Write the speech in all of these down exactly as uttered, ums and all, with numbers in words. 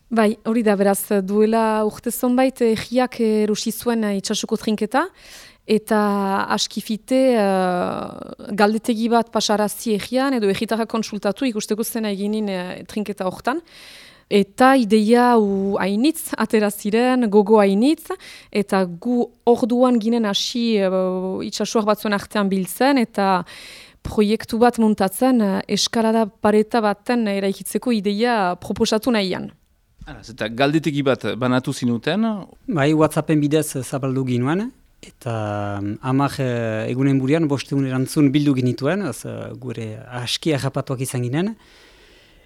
Bai, hori da, beraz, duela urte zonbait egiak erosi zuen itxasuko trinketa, eta askifite uh, galdetegi bat pasarazi egian, edo egitarra konsultatu ikusteko zena eginin uh, trinketa hortan. Eta ideia hu hainitz, atera ziren, gogo hainitz, eta gu orduan ginen hasi uh, itxasuak batzuen artean biltzen, eta proiektu bat muntatzen uh, eskalada pareta baten eraikitzeko ideia proposatu nahian. Eta galdetegi bat banatu zinuten? Bai, WhatsAppen bidez zabaldu ginuen, eta amak egunen burian bostegun erantzun bildu ginituen, az, gure aski agapatuak izan ginen.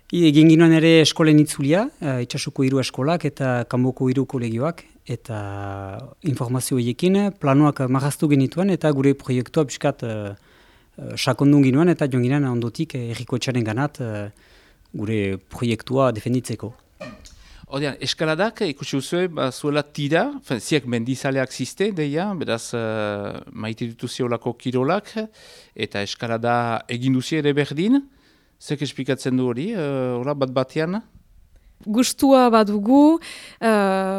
Egin ginoen ere eskolen itzulia, itxasuko hiru eskolak eta kanboko hiru kolegioak, eta informazio horiekin planuak marraztu genituen, eta gure proiektua pixkat sakondun ginoen, eta joan ginen ondotik erriko etxaren ganat gure proiektua defenditzeko. Odean, eskaladak ikusi duzue, ba, zuela tira, fen, ziak mendizaleak ziste, deia, beraz uh, maite dituziolako kirolak, eta eskalada egin duzi ere berdin, zek esplikatzen du hori, uh, bat batean? Gustua badugu, uh,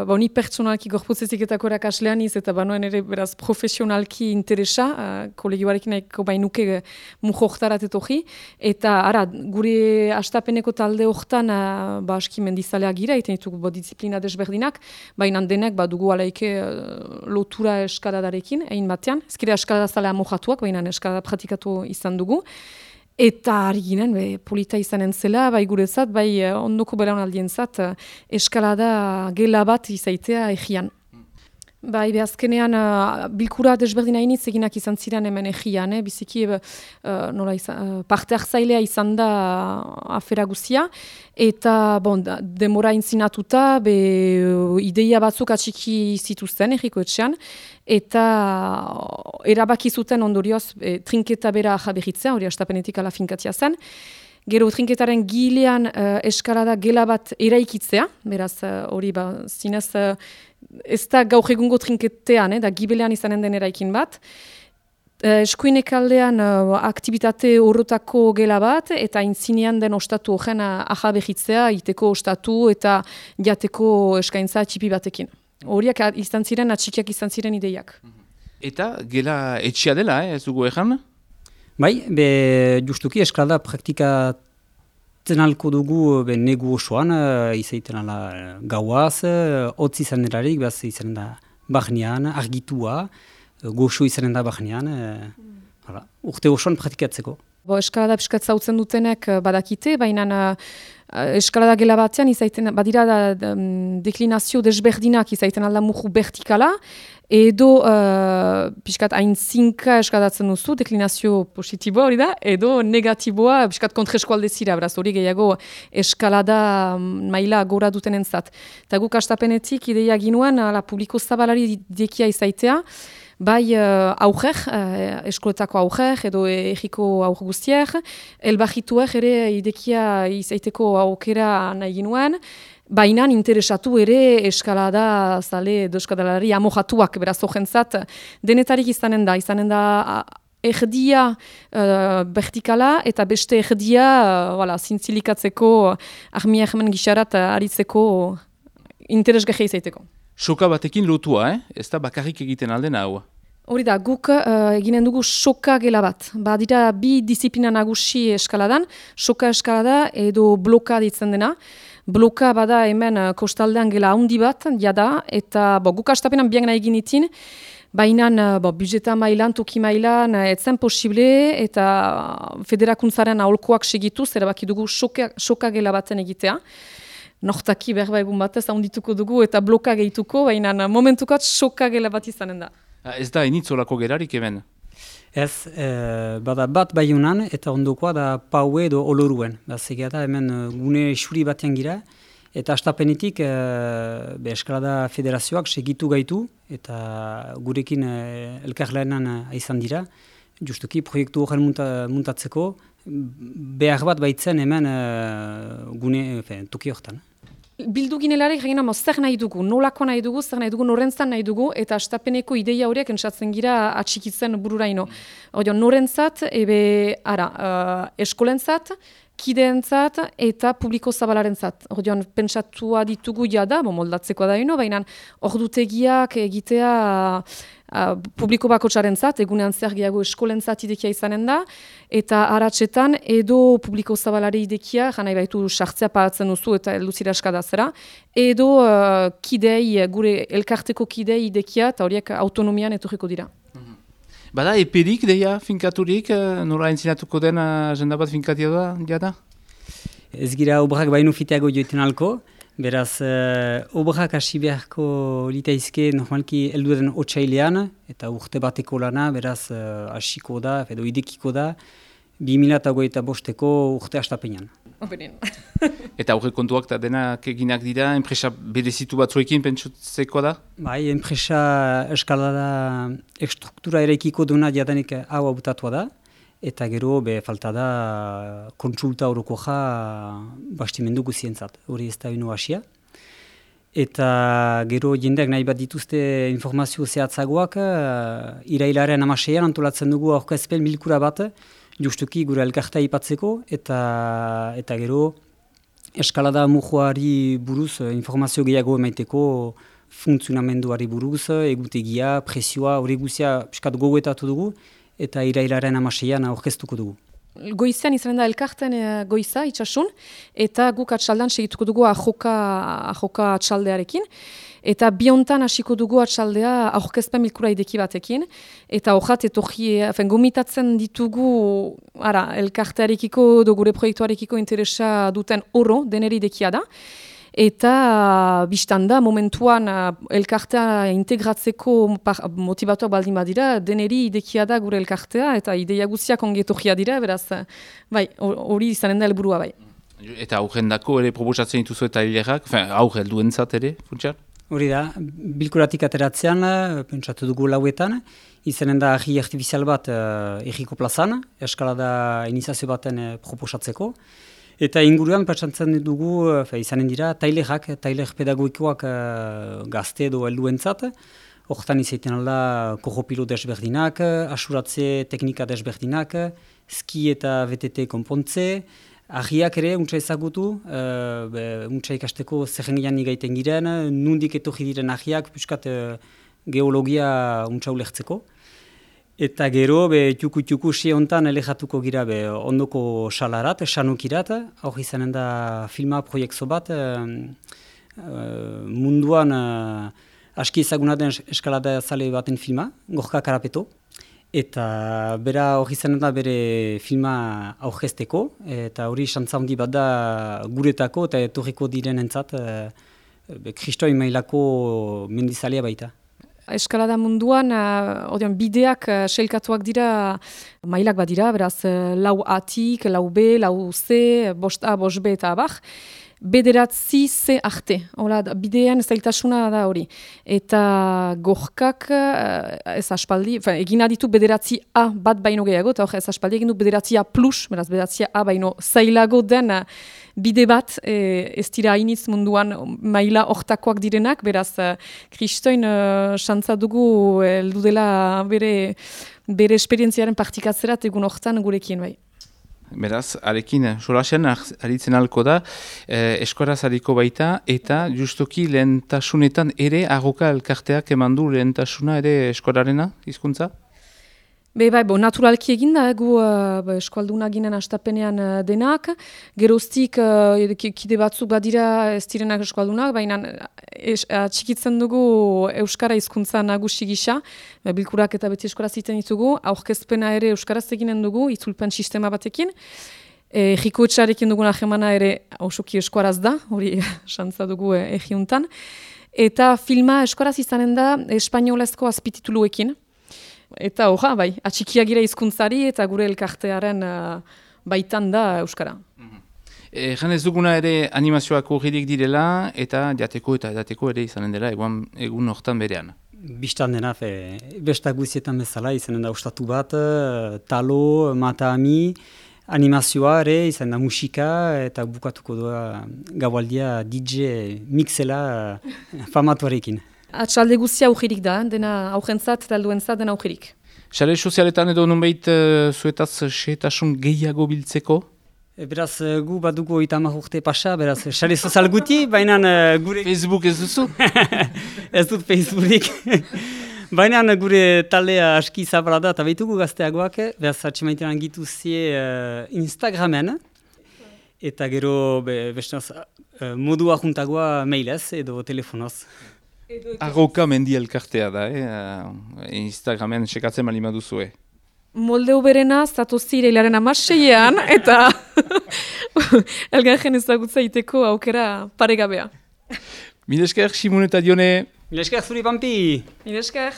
ba, ni pertsonalki gorputzeziketako erakaslean iz, eta banoen ere beraz profesionalki interesa, uh, kolegioarekin nahiko bainuke mujoktarat etoji, eta ara, gure astapeneko talde hortan uh, ba, aski mendizaleak gira, eta ditugu disiplina desberdinak, baina denek badugu alaike uh, lotura eskaladarekin, egin batean, ezkire eskaladazalea mojatuak, baina eskalada pratikatu izan dugu. Eta ari ginen, be, polita izanen zela, bai gurezat, bai ondoko belaunaldientzat eskalada gela bat izaitea egian. Bai, behazkenean uh, bilkura desberdin hainitz eginak izan ziren hemen egian, eh? Biziki uh, nola izan, uh, parte hartzailea izan da uh, afera guzia, eta bon, da, demora intzinatuta, be, uh, ideia batzuk atxiki zituzten erriko etxean, eta uh, erabaki zuten ondorioz e, trinketa bera jabehitzea, hori astapenetik ala finkatia zen. Gero trinketaren gilean uh, eskalada gela bat eraikitzea, beraz hori uh, ba, zinez uh, ez da gaur egungo trinketean, eh, da gibelean izanen den eraikin bat. Uh, eskuinek aldean uh, aktivitate horretako gela bat, eta intzinean den ostatu horren uh, ahabehitzea, iteko ostatu eta jateko eskaintza txipi batekin. Horiak izan ziren, atxikiak izan ziren ideiak. Eta gela etxia dela, eh, ez dugu egan? Bai, be, justuki eskalada praktikatzen alko dugu be, negu osoan, uh, izaiten ala gauaz, uh, hotz izan erarik, behaz izan da bahnean, argitua, uh, goxo izanen da bahnean, uh, mm. urte osoan praktikatzeko. Bo, eskalada piskat zautzen dutenek badakite, baina uh, eskalada gela batean izaiten, badira da, da, deklinazio desberdinak izaiten alda muju vertikala, edo uh, piskat hain zinka eskadatzen duzu, deklinazio positiboa hori da, edo negatiboa piskat kontreskoalde zira, beraz hori gehiago eskalada maila gora duten entzat. Eta guk astapenetik ideia ginuen, ala publiko zabalari dekia izaitea, bai uh, aurrer, uh, eskoletako aurrer, edo egiko aurre guztier, elbajituer ere idekia izaiteko aukera nahi ginuen, baina interesatu ere eskalada zale edo eskaladari amojatuak, beraz ojentzat, denetarik izanen da, izanen da erdia uh, vertikala eta beste erdia uh, voilà, zintzilikatzeko, armia hemen gixarat uh, aritzeko interesgarria izaiteko. Soka batekin lotua, eh? Ez da bakarrik egiten alden hau. Hori da, guk uh, eginen dugu soka gela bat. Badira bi disiplina nagusi eskaladan, soka eskalada edo bloka ditzen dena. Bloka bada hemen uh, kostaldean gela handi bat, jada, eta bo, guk astapenan bian nahi ginitin, baina uh, budjeta mailan, toki mailan, uh, etzen posible, eta federakuntzaren aholkoak segitu, erabaki dugu soka, soka gela baten egitea. Nortaki berba egun batez handituko dugu eta bloka gehituko, baina momentukat soka gela bat izanen da. Ez da initzolako gerarik hemen? Ez, e, bada bat baiunan eta ondokoa da paue edo oloruen. Zegea da hemen gune xuri batean gira, eta astapenetik e, be eskalada federazioak segitu gaitu, eta gurekin e, elkarlaenan izan dira, justuki proiektu horren munta, muntatzeko, behar bat baitzen hemen e, gune fe, toki horretan. Bildu ginelarik egin zer nahi dugu, nolako nahi dugu, zer nahi dugu, norentzat nahi dugu, eta astapeneko ideia horiek entzatzen gira atxikitzen bururaino. Odio, norentzat, ebe, ara, uh, eskolentzat, kideentzat eta publiko zabalarentzat. Orduan, pentsatua ditugu jada, bo moldatzeko da ino, baina ordutegiak egitea uh, publiko bakotsarentzat, egunean zer gehiago eskolentzat idekia izanen da, eta aratsetan edo publiko zabalari idekia, janai baitu sartzea paratzen duzu eta elduzira eskadazera, edo uh, kidei, gure elkarteko kidei idekia, eta horiek autonomian etorriko dira. Bada, eperik deia finkaturik, nola entzinatuko den agenda bat finkatia da, jada? Ez gira obrak baino fiteago joiten alko, beraz, uh, obrak hasi beharko litaizke normalki heldu den otsailean, eta urte bateko lana, beraz, uh, hasiko da, edo idekiko da, bi mila hogeita bosteko urte hastapenean. Eta aurre kontuak eta denak eginak dira, enpresa berezitu batzuekin pentsatzeko da? Bai, enpresa eskalada estruktura ere ekiko duna jadanik hau hautatua da, eta gero be falta da kontsulta horoko ja bastimendu guzientzat, hori ez da ino hasia. Eta gero jendeak nahi bat dituzte informazio zehatzagoak, irailaren amaseian antolatzen dugu aurkezpen bilkura bat, justuki gure elkarta ipatzeko, eta eta gero eskalada mujoari buruz informazio gehiago emaiteko funtzionamenduari buruz, egutegia, presioa, hori guzia piskat gogoetatu dugu, eta irailaren amaseian aurkeztuko dugu. Goizean izanen da elkarten goiza, itxasun, eta guk atxaldan segituko dugu ahoka, ahoka atxaldearekin, eta biontan hasiko dugu atxaldea aurkezpen bilkura ideki batekin, eta hojat etorri, gomitatzen ditugu ara, elkartearekiko, do gure proiektuarekiko interesa duten oro, deneri idekia da, eta biztan da, momentuan elkartea integratzeko motivatuak baldin badira, deneri idekia da gure elkartea, eta ideia guztiak ongetorria dira, beraz, bai, hori izanen da helburua bai. Eta aurrendako ere proposatzen dituzu eta hilerak, aurre helduentzat ere, funtsian? Hori da, bilkuratik ateratzean, pentsatu dugu lauetan, izanen da ahi artifizial bat uh, erriko plazan, eskalada iniziazio baten uh, proposatzeko. Eta inguruan pentsatzen dugu, uh, izanen dira, tailerak, tailer pedagogikoak uh, gazte edo helduentzat. Hortan izaiten alda korropilo desberdinak, asuratze teknika desberdinak, ski eta V T T konpontze, ahiak ere, untsa ezagutu, uh, untsa ikasteko zerrengian igaiten giren, nundik etorri diren ahiak, puskat uh, geologia untsa ulertzeko. Eta gero, txuku-txuku si hontan elejatuko gira be, ondoko salarat, sanukirat, hor izanen da filma proiektu bat, uh, uh, munduan uh, aski ezaguna den eskalada zale baten filma, Gorka Karapeto. Eta bera hori zen da bere filma aurkezteko, eta hori xantza handi bat da guretako eta etorriko direnentzat e, kristoi mailako mendizalea baita. Eskalada munduan, uh, bideak uh, selkatuak dira, mailak bat dira, beraz lau atik, lau B, lau C, bost A, bost B eta abar. Bederatzi C arte, hola, bidean zailtasuna da hori. Eta gorkak ez aspaldi, egin aditu bederatzi A bat baino gehiago, eta hor ez aspaldi egin du bederatzi A plus, beraz bederatzi A baino zailago den bide bat, e, ez dira hainitz munduan maila hortakoak direnak, beraz kristoin xantza dugu heldu dela bere, bere esperientziaren partikatzerat egun hortan gurekin bai. Beraz, arekin, solasen aritzen alko da, eh, eskoraz hariko baita, eta justoki lehentasunetan ere agoka elkarteak eman du lehentasuna ere eskorarena, hizkuntza? Be, bai, bo, naturalki eginda, egu uh, eskualduna ginen astapenean uh, denak, geroztik uh, kide batzuk badira ez direnak eskualdunak, baina es, uh, txikitzen dugu euskara hizkuntza nagusi gisa, bilkurak eta beti euskaraz egiten ditugu, aurkezpena ere euskaraz eginen dugu, itzulpen sistema batekin, e, jiko etxarekin dugun ahemana ere osoki eskuaraz da, hori xantza dugu e, egiuntan, eta filma eskuaraz izanen da espainolezko azpitituluekin. Eta horra, bai, atxikiak gira hizkuntzari eta gure elkartearen uh, baitan da euskara. E, jan ez duguna ere animazioak horredik direla eta jateko eta edateko ere izanen dela egun, egun hortan berean. Bistan dena, fe, bestak guzietan bezala izanen da ostatu bat, talo, mata-ami, animazioa ere, izan da musika eta bukatuko doa gaualdia D J mixela famatuarekin. Atxalde guztia aujerik da, dena aujentzat eta alduentzat dena aujerik. Sare sozialetan edo nunbait uh, zuetaz sehetasun gehiago biltzeko? E, beraz, gu badugu oita hamar urte pasa, beraz, sare sozial guti, baina gure... Facebook ez duzu? Ez dut Facebookik. Baina gure taldea aski zabala da, eta behitugu gazteagoak, beraz, atxemaitean gitu zie uh, Instagramen, eta gero, be, bestenaz, uh, modua juntagoa mailez edo telefonoz. Arroka mendi elkartea da, eh? Instagramen sekatzen bali maduzue. Molde uberena, zatozire hilaren amaseian, eta elgarren ezagutza iteko aukera paregabea. Mil esker, Simon eta Dione. Mil esker zuri, Pampi! Mil esker!